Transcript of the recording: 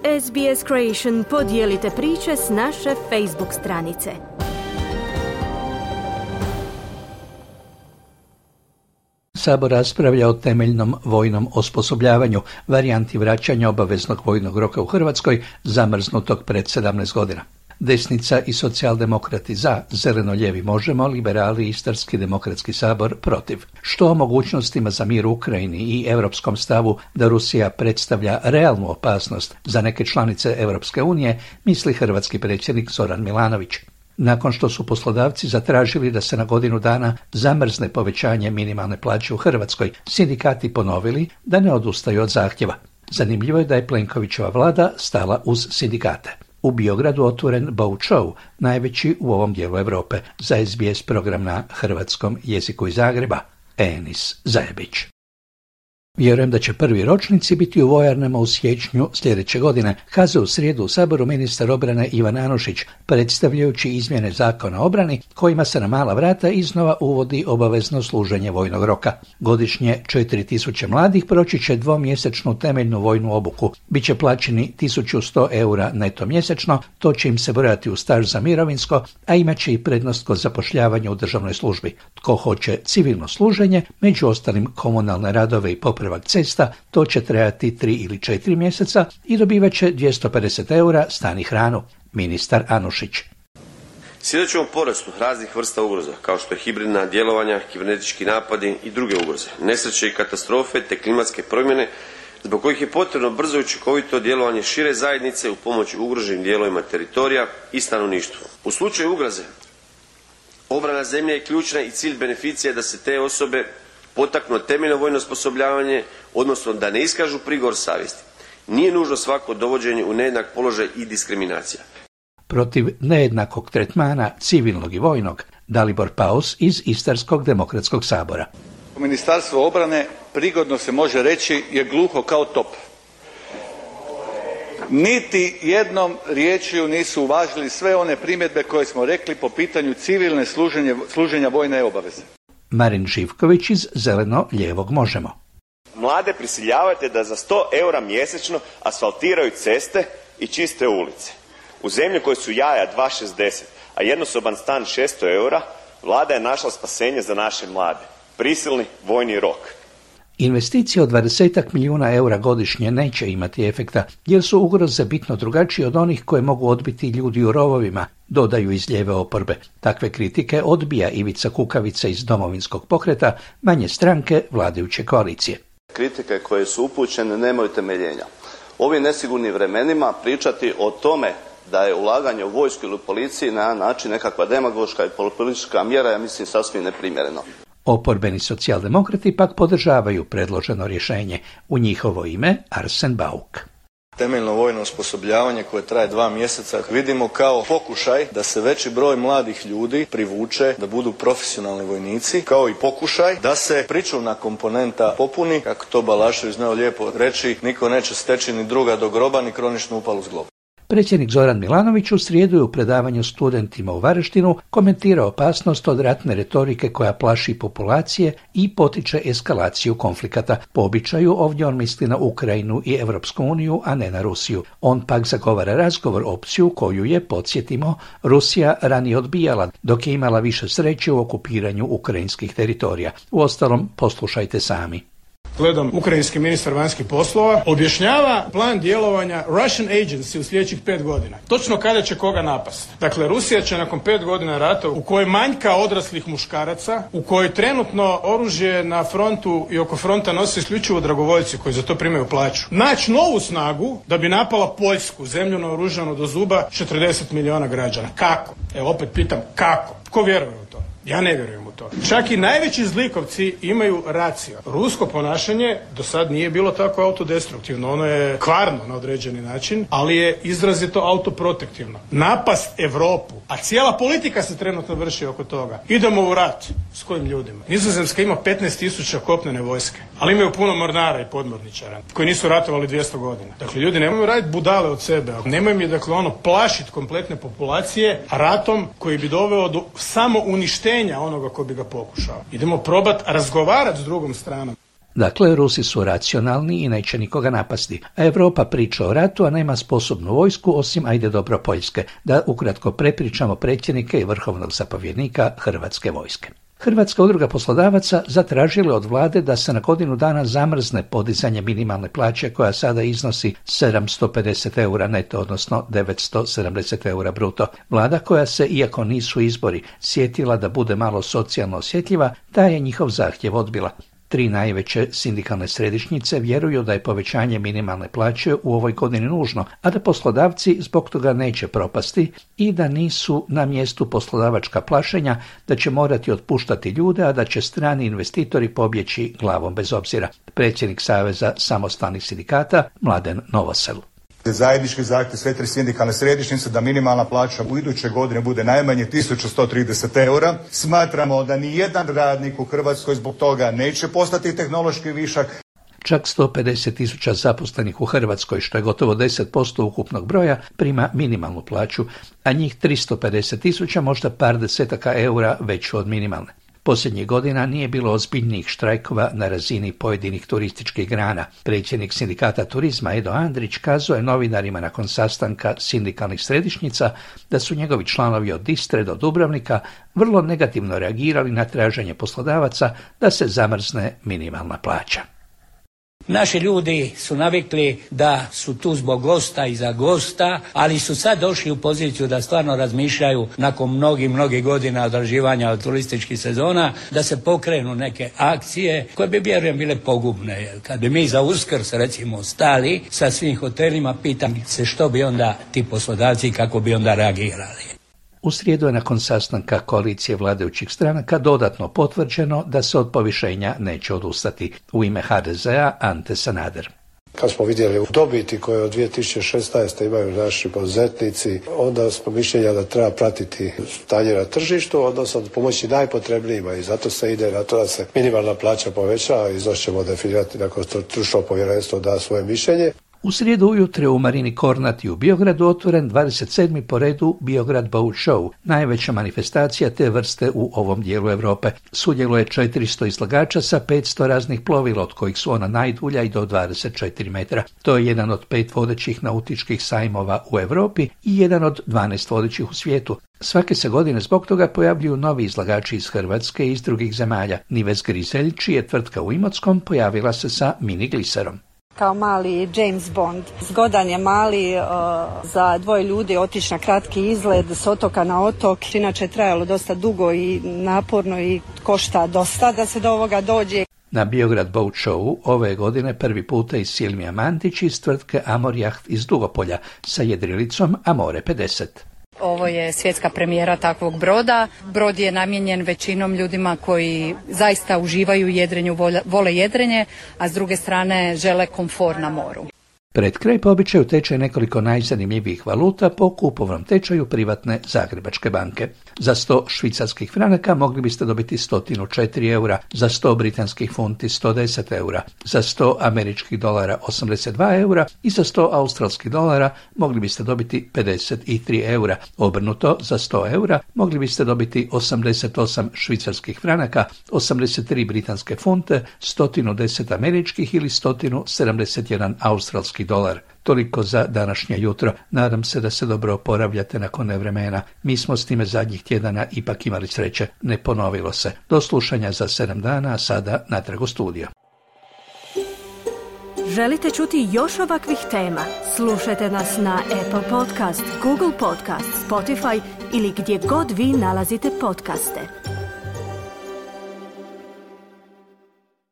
SBS Creation podijelite priče s naše Facebook stranice. Sabor raspravlja o temeljnom vojnom osposobljavanju, varijanti vraćanja obaveznog vojnog roka u Hrvatskoj, zamrznutog pred 17 godina. Desnica i socijaldemokrati za, zeleno-ljevi možemo, liberali i Istarski demokratski sabor protiv. Što o mogućnostima za mir u Ukrajini i europskom stavu da Rusija predstavlja realnu opasnost za neke članice Europske unije, misli hrvatski predsjednik Zoran Milanović. Nakon što su poslodavci zatražili da se na godinu dana zamrzne povećanje minimalne plaće u Hrvatskoj, sindikati ponovili da ne odustaju od zahtjeva. Zanimljivo je da je Plenkovićeva vlada stala uz sindikate. U Biogradu otvoren Boat Show, najveći u ovom dijelu Europe, za SBS program na hrvatskom jeziku iz Zagreba. Enis Zajebić. Vjerujem da će prvi ročnici biti u vojarnama u siječnju sljedeće godine, kazao u srijedu u Saboru ministar obrane Ivan Anušić, predstavljajući izmjene Zakona o obrani kojima se na mala vrata iznova uvodi obavezno služenje vojnog roka. Godišnje 4000 mladih proći će dvomjesečnu temeljnu vojnu obuku. Biće plaćeni 1100 eura neto mjesečno, to će im se brojati u staž za mirovinsko, a imat će i prednost kod zapošljavanja u državnoj službi. Tko hoće civilno služenje, među ostalim komunalne radove i popravak cesta, to će trajati 3 ili 4 mjeseca i dobivat će 250 eura stan i hranu. Ministar Anušić. Svjedočimo porastu raznih vrsta ugroza, kao što je hibridna djelovanja, kibernetički napadi i druge ugroze, nesreće i katastrofe te klimatske promjene, zbog kojih je potrebno brzo i učinkovito djelovanje šire zajednice u pomoć ugroženim dijelovima teritorija i stanovništvu. U slučaju ugroze, obrana zemlje je ključna i cilj beneficija da se te osobe potaknuo temeljno vojno osposobljavanje, odnosno da ne iskažu prigovor savjesti. Nije nužno svako dovođenje u nejednak položaj i diskriminacija. Protiv nejednakog tretmana civilnog i vojnog, Dalibor Paus iz Istarskog demokratskog sabora. Ministarstvo obrane, prigodno se može reći, je gluho kao top. Niti jednom riječju nisu uvažili sve one primjedbe koje smo rekli po pitanju civilne služenja vojne obaveze. Marin Živković iz zeleno-lijevog možemo. Mlade prisiljavate da za 100 eura mjesečno asfaltiraju ceste i čiste ulice. U zemlji koje su jaja 2,60, a jednosoban stan 600 eura, vlada je našla spasenje za naše mlade. Prisilni vojni rok. Investicije od 20 milijuna eura godišnje neće imati efekta, jer su ugroze bitno drugačije od onih koje mogu odbiti ljudi u rovovima, dodaju iz lijeve oporbe. Takve kritike odbija Ivica Kukavica iz Domovinskog pokreta, manje stranke vladajuće koalicije. Kritike koje su upućene nemaju temeljenja. U ovim nesigurnim vremenima pričati o tome da je ulaganje u vojsku ili u policiji na način nekakva demagoška i politička mjera, ja mislim sasvim neprimjereno. Oporbeni socijaldemokrati pak podržavaju predloženo rješenje. U njihovo ime Arsen Bauk. Temeljno vojno osposobljavanje koje traje 2 mjeseca vidimo kao pokušaj da se veći broj mladih ljudi privuče da budu profesionalni vojnici, kao i pokušaj da se pričuvna komponenta popuni, kako to Balašević znao lijepo reći, niko neće steći ni druga do groba ni kroničnu upalu s globa. Predsjednik Zoran Milanović u srijedu je u predavanju studentima u Varaždinu komentirao opasnost od ratne retorike koja plaši populacije i potiče eskalaciju konflikata. Po običaju ovdje on misli na Ukrajinu i Europsku uniju, a ne na Rusiju. On pak zagovara razgovor, opciju koju je, podsjetimo, Rusija ranije odbijala, dok je imala više sreće u okupiranju ukrajinskih teritorija. Uostalom, poslušajte sami. Gledam, ukrajinski ministar vanjskih poslova objašnjava plan djelovanja Russian Agency u sljedećih 5 godina. Točno kada će koga napasti. Dakle, Rusija će nakon 5 godina rata u kojoj manjka odraslih muškaraca, u kojoj trenutno oružje na frontu i oko fronta nose isključivo dragovoljci koji za to primaju plaću, naći novu snagu da bi napala Poljsku, zemlju naoružanu do zuba 40 milijuna građana. Kako? Evo opet pitam, kako? Tko vjeruje u to? Ja ne vjerujem u to. Čak i najveći zlikovci imaju racio. Rusko ponašanje do sad nije bilo tako autodestruktivno. Ono je kvarno na određeni način, ali je izrazito autoprotektivno. Napast Europu, a cijela politika se trenutno vrši oko toga. Idemo u rat. S kojim ljudima? Nizozemska ima 15.000 kopnene vojske, ali imaju puno mornara i podmorničara koji nisu ratovali 200 godina. Dakle, ljudi nemaju raditi budale od sebe. Nemoj mi, dakle, plašiti kompletne populacije ratom koji bi doveo do samo uništenja onoga ko bi ga pokušao. Idemo probati razgovarati s drugom stranom. Dakle, Rusi su racionalni i neće nikoga napasti, a Europa priča o ratu, a nema sposobnu vojsku osim ajde dobro Poljske, da ukratko prepričamo predsjednike i vrhovnog zapovjednika Hrvatske vojske. Hrvatska udruga poslodavaca zatražila od vlade da se na godinu dana zamrzne podizanje minimalne plaće koja sada iznosi 750 eura neto, odnosno 970 eura bruto. Vlada koja se, iako nisu izbori, sjetila da bude malo socijalno osjetljiva, ta je njihov zahtjev odbila. 3 najveće sindikalne središnjice vjeruju da je povećanje minimalne plaće u ovoj godini nužno, a da poslodavci zbog toga neće propasti i da nisu na mjestu poslodavačka plašenja da će morati otpuštati ljude, a da će strani investitori pobjeći glavom bez obzira. Predsjednik Saveza samostalnih sindikata Mladen Novosel. Zajednički zahtjev sve 3 sindikalne središnjice da minimalna plaća u iduće godine bude najmanje 1130 eura. Smatramo da ni jedan radnik u Hrvatskoj zbog toga neće postati tehnološki višak. Čak 150.000 zaposlenih u Hrvatskoj, što je gotovo 10% ukupnog broja, prima minimalnu plaću, a njih 350.000 možda par desetaka eura veću od minimalne. Posljednjih godina nije bilo ozbiljnijih štrajkova na razini pojedinih turističkih grana. Predsjednik sindikata turizma Edo Andrić kazao je novinarima nakon sastanka sindikalnih središnjica da su njegovi članovi od Istre do Dubrovnika vrlo negativno reagirali na traženje poslodavaca da se zamrzne minimalna plaća. Naši ljudi su navikli da su tu zbog gosta i za gosta, ali su sad došli u poziciju da stvarno razmišljaju nakon mnogih godina odrađivanja turističkih sezona, da se pokrenu neke akcije koje bi, vjerujem, bile pogubne. Kad bi mi za Uskrs, recimo, stali sa svim hotelima, pitam se što bi onda ti poslodavci i kako bi onda reagirali. U srijedu je nakon sastanka koalicije vladajućih stranaka dodatno potvrđeno da se od povišenja neće odustati. U ime HDZ-a Ante Sanader. Kad smo vidjeli dobiti koje od 2016. imaju naši poduzetnici, onda smo mišljenja da treba pratiti stanje na tržištu, odnosno pomoći najpotrebnijima i zato se ide na to da se minimalna plaća poveća, iznos ćemo definirati nakon što stručno povjerenstvo da svoje mišljenje. U srijedu ujutro u Marini Kornati u Biogradu otvoren 27. po redu Biograd Boat Show, najveća manifestacija te vrste u ovom dijelu Europe. Sudjeluje 400 izlagača sa 500 raznih plovila, od kojih su ona najdulja i do 24 metra. To je jedan od 5 vodećih nautičkih sajmova u Europi i jedan od 12 vodećih u svijetu. Svake se godine zbog toga pojavljuju novi izlagači iz Hrvatske i iz drugih zemalja. Nives Grizelj, čija je tvrtka u Imotskom, pojavila se sa mini gliserom. Kao mali James Bond. Zgodan je mali za 2 ljudi otići na kratki izlet s otoka na otok. Inače je trajalo dosta dugo i naporno i košta dosta da se do ovoga dođe. Na Biograd Boat Show ove godine prvi puta i Silmija Mantić iz tvrtke Amor Yacht iz Dugopolja sa jedrilicom Amore 50. Ovo je svjetska premijera takvog broda. Brod je namijenjen većinom ljudima koji zaista uživaju u jedrenju, vole jedrenje, a s druge strane žele komfor na moru. Pred kraj po običaju tečaj nekoliko najzanimljivijih valuta po kupovnom tečaju privatne Zagrebačke banke. Za 100 švicarskih franaka mogli biste dobiti 104 eura, za 100 britanskih funti 110 eura, za 100 američkih dolara 82 eura i za 100 australskih dolara mogli biste dobiti 53 eura. Obrnuto, za 100 eura mogli biste dobiti 88 švicarskih franaka, 83 britanske funte, 110 američkih ili 171 australski dolar. Toliko za današnje jutro. Nadam se da se dobro oporavljate nakon nevremena. Mi smo s time zadnjih tjedana ipak imali sreće. Ne ponovilo se. Do slušanja za 7 dana, a sada natrag u studio. Želite čuti još ovakvih tema? Slušajte nas na Apple Podcast, Google Podcast, Spotify ili gdje god vi nalazite podcaste.